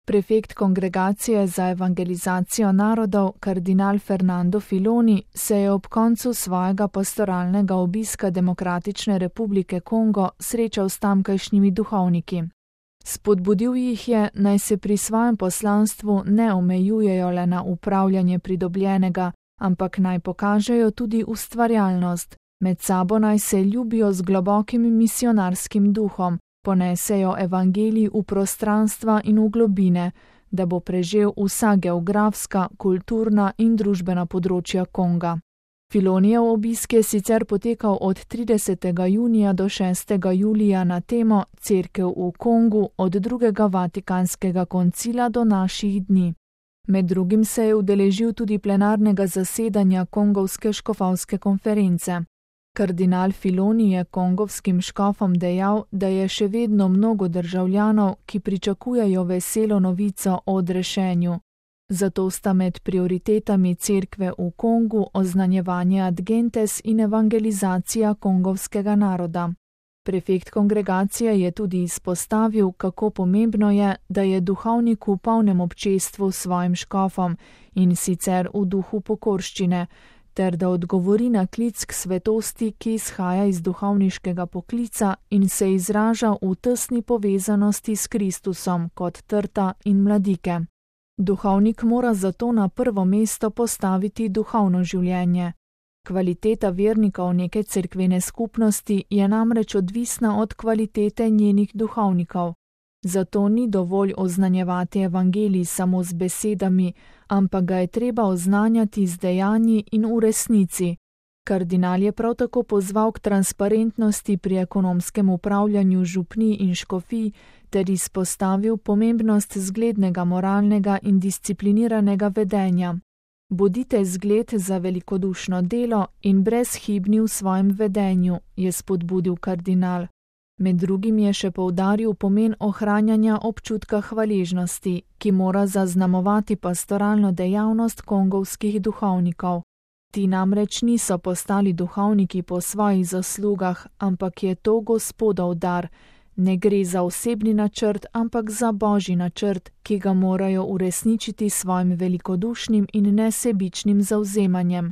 Prefekt Kongregacije za evangelizacijo narodov, kardinal Fernando Filoni, se je ob koncu svojega pastoralnega obiska Demokratične republike Kongo srečal s tamkajšnjimi duhovniki. Spodbudil jih je, naj se pri svojem poslanstvu ne omejujejo le na upravljanje pridobljenega, ampak naj pokažejo tudi ustvarjalnost, med sabo naj se ljubijo z globokim misionarskim duhom, ponesejo evangelij v prostranstva in v globine, da bo prežel vsa geografska, kulturna in družbena področja Konga. Filonijev obisk je sicer potekal od 30. junija do 6. julija na temo Cerkev v Kongu od drugega Vatikanskega koncila do naših dni. Med drugim se je udeležil tudi plenarnega zasedanja Kongovske škofovske konference. Kardinal Filoni je kongovskim škofom dejal, da je še vedno mnogo državljanov, ki pričakujejo veselo novico o odrešenju. Zato sta med prioritetami cerkve v Kongu oznanjevanje ad gentes in evangelizacija kongovskega naroda. Prefekt kongregacije je tudi izpostavil, kako pomembno je, da je duhovnik v polnem občestvu s svojim škofom in sicer v duhu pokorščine, ter da odgovori na klic k svetosti, ki izhaja iz duhovniškega poklica in se izraža v tesni povezanosti s Kristusom kot trta in mladike. Duhovnik mora zato na prvo mesto postaviti duhovno življenje. Kvaliteta vernikov neke cerkvene skupnosti je namreč odvisna od kvalitete njenih duhovnikov. Zato ni dovolj oznanjevati evangelij samo z besedami, ampak ga je treba oznanjati z dejanji in v resnici. Kardinal je prav tako pozval k transparentnosti pri ekonomskem upravljanju župnij in škofij ter izpostavil pomembnost zglednega moralnega in discipliniranega vedenja. Bodite zgled za velikodušno delo in brezhibni v svojem vedenju, je spodbudil kardinal. Med drugim je še poudaril pomen ohranjanja občutka hvaležnosti, ki mora zaznamovati pastoralno dejavnost kongovskih duhovnikov. Ti namreč niso postali duhovniki po svojih zaslugah, ampak je to Gospodov dar. Ne gre za osebni načrt, ampak za Božji načrt, ki ga morajo uresničiti s svojim velikodušnim in nesebičnim zavzemanjem.